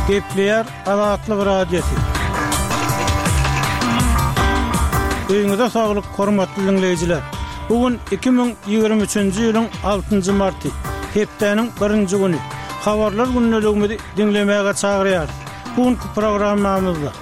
Gepleýär Azatlyk Radiosy. Öýüňize saglyk, hormatly diňleýjiler! Bu gün 2023-nji ýylyň altynjy marty, hepdäniň birinji güni. Habarlar gündeligimizi diňlemäge çagyrýarys. Bu günki programmamyzda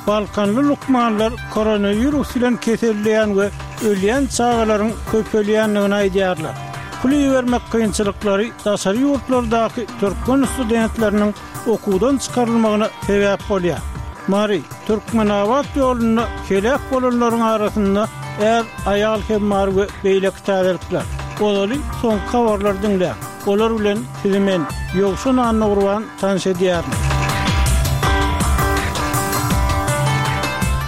Balkanly lukmanlar koronawirus bilen keselleýän we ölýän çagalaryň köpelýändigini aýdýarlar. Pul ibermek kynçylyklary daşary ýurtlardaky türkmen studentleriniň okuwdan çykarylmagyna sebäp bolýar. Mary, Türkmenabat ýolunda heläk bolanlaryň arasynda är, aýal hem bar we beýleki täzelikler. Ozaly soňky habarlary diňläň. Olar bilen sizi men, Ýowşan Annagurban tanyş edýärin.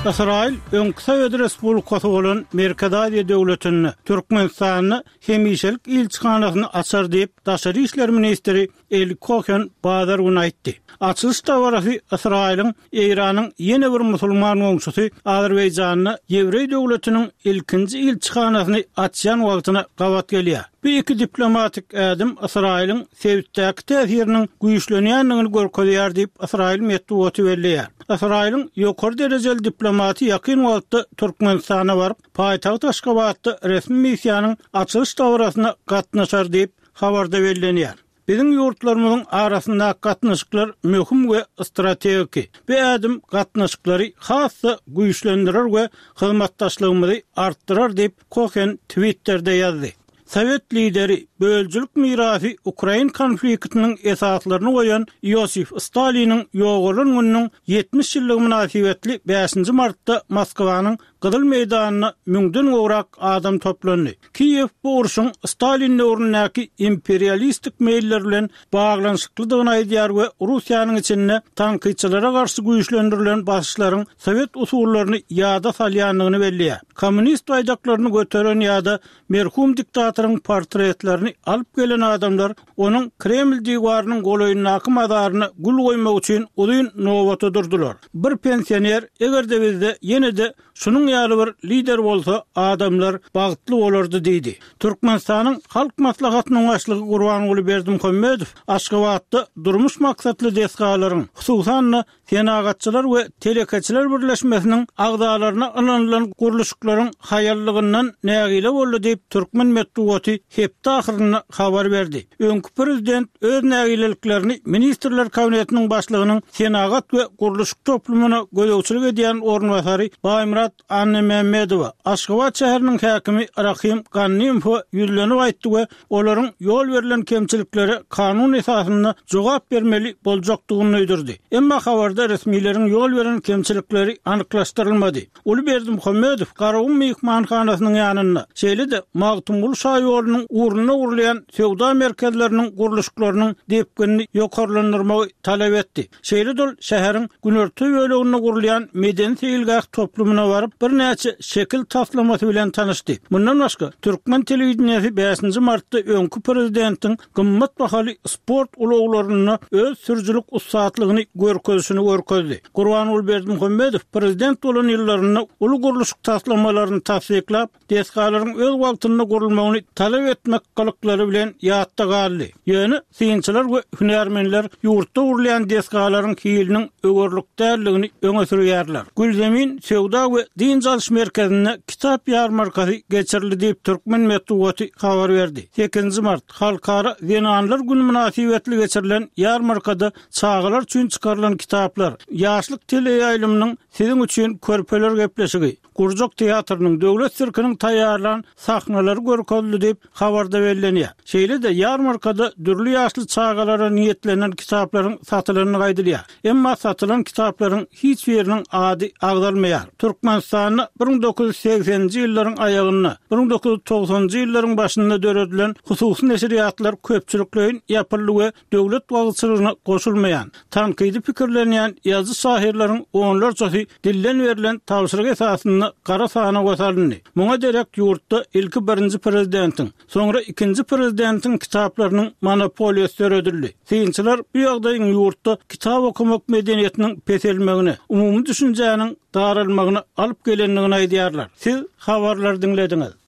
Ysraýyl öňki Sowet respublikasy bolan Merkezi Aziýa döwletinde, Türkmenistanda hemişelik ilçihanasyny açar diýip, daşary işler ministri Eli Kohen bazar güni aýtdy. Açylyş dabarasy Ysraýylyň Eýranyň ýene bir musulman goňşusy Azerbaýjanda ýewreý döwletiniň ilkinji ilçihanasyny açýan wagtyna gabat gelýär. Bu iki diplomatik ädim Ysraýylyň sebitdäki täsiriniň güýçlenýändigini görkezýär diýip, ysraýyl metbugaty belleýär. Ysraýylyň ýokary derejeli diplomaty ýakyn wagtda Türkmenistana baryp, paýtagt Aşgabatda resmi missiýanyň açylyş dabarasyna gatnaşar diýip, habarda bellenýär. Biziň ýurtlarymyzyň arasyndaky gatnaşyklar möhüm we strategiki. Bu ädim gatnaşyklary has-da güýçlendirer we hyzmatdaşlygymyzy artdyrar diýip, Kohen Twitterde ýazdy. Sowet lideri, bölüjilik mirasy ukrain konfliktiniň esaslaryny goýan Iosif Staliniň ýogalan gününiň 70 ýyllygy mynasybetli bäşinji martda Moskwanyň Gyzyl meýdanyna müňden gowrak adam toplandy. Kiýew bu urşuň Stalin döwründäki imperialistik meýiller bilen baglanyşyklydygyny aýdýar we Russiýanyň içinde tankytçylara garşy güýçlendirilen basyşlaryň sowet usullaryny ýada salýandygyny belleýär. Kommunist baýdaklaryny göteren ýa-da merhum diktatoryň portretlerini alyp gelen adamlar onuň Kreml diwarynyň golaýyndaky mazaryna gül goýmak üçin uzyn nobata durdular. Bir pensioner, eger-de bizde ýene-de şunuň ýaly bir lider bolsa, adamlar bagtly bolardy diýdi. Türkmenistanyň Halk Maslahatynyň Başlygy Gurbanguly Berdimuhamedow Aşgabatda durmuş maksatly desgalaryň, hususan-da, Senagatçylar we telekeçiler birleşmesiniň agzalaryna ynanylan gurluşyklaryň haýallygyndan nägile boldy diýip, türkmen metbugaty hepde ahyrynda habar berdi. Öňki prezident öz nägileliklerini Ministrler Kabinetiniň başlygynyň senagat we gurluşyk toplumyna gözegçilik edýän orunbasary Baýmyrat Annamämmedowa, Aşgabat şäheriniň häkimi Rahym Gannymowa ýüzlenip aýtdy we olaryň ýol berlen kemçiliklere kanun esasynda jogap bermeli boljakdygyny duýdurdy. Emma habarda resmileriň ýol beren kemçilikleri anyklaşdyrylmady. Uly Berdimuhamedow Garagum myhmanhanasynyň ýanynda, şeýle-de Magtymguly şaýolunyň ugrunda gurulýan söwda merkezleriniň gurluşyklarynyň depginini ýokarlandyrmagy talap etdi. Şeýle-de ol şäheriň günorta böleginde gurulýan medeni-seýilgäh toplumyna baryp, birnäçe şekil taslamasy bilen tanyşdy. Mundan başga, türkmen telewideniýesi bäşinji martda öňki prezidentiň gymmat bahaly sport ulaglarynda öz sürüjilik ussatlygyny görkezişini görkezdi. Gurbanguly Berdimuhamedow prezident bolan ýyllarynda uly gurluşyk taslamalaryny tassyklap, desgalaryň öz wagtynda gurulmagyny talap etmek gylyklary bilen ýatda galdy. Ýöne synçylar we hünärmenler ýurtda gurulýan desgalaryň hiliniň öwerlik däldigini öňe sürýärler. Gülzemin söwda we dynç alyş merkezinde kitap ýarmarkasy geçirildi diýip, türkmen metbugaty habar berdi. Sekizinji mart, Halkara zenanlar güni mynasybetli geçirilen ýarmarkada çagalar üçin çykarylan kitaplar, Ýaşlyk teleýaýlymynyň Siziň üçin körpeler gepleşigi, Gurjak teatrynyň, Döwlet sirkiniň taýýarlan sahnalary görkezildi diýip, habarda bellenýär. Şeýle-de, ýarmarkada dürli ýaşly çagalara niýetlenen kitaplaryň satylandygy aýdylýar. Emma satylan kitaplaryň hiç biriniň ady agzalmaýar. Türkmenistanda 1980-nji ýyllaryň aýagynda, 1990-njy ýyllaryň başynda döredilen hususy neşirýatlar köpçülikleýin ýapyldy we döwlet wagyzçylygyna goşulmaýan, tankydy pikirlenýän ýazyjy-şahyrlaryň onlarçasy dilden berlen tabşyryk esasynda gara sanawa salyndy. Muňa derek ýurtda ilki birinji prezidentiň, soňra ikinji prezidentiň kitaplarynyň monopoliýasy döredildi. Synçylar bu ýagdaýyň ýurtda kitap okamak medeniýetiniň peselmegine, umumy düşünjäniň daralmagyna alyp gelendigini aýdýarlar. Siz habarlary diňlediňiz.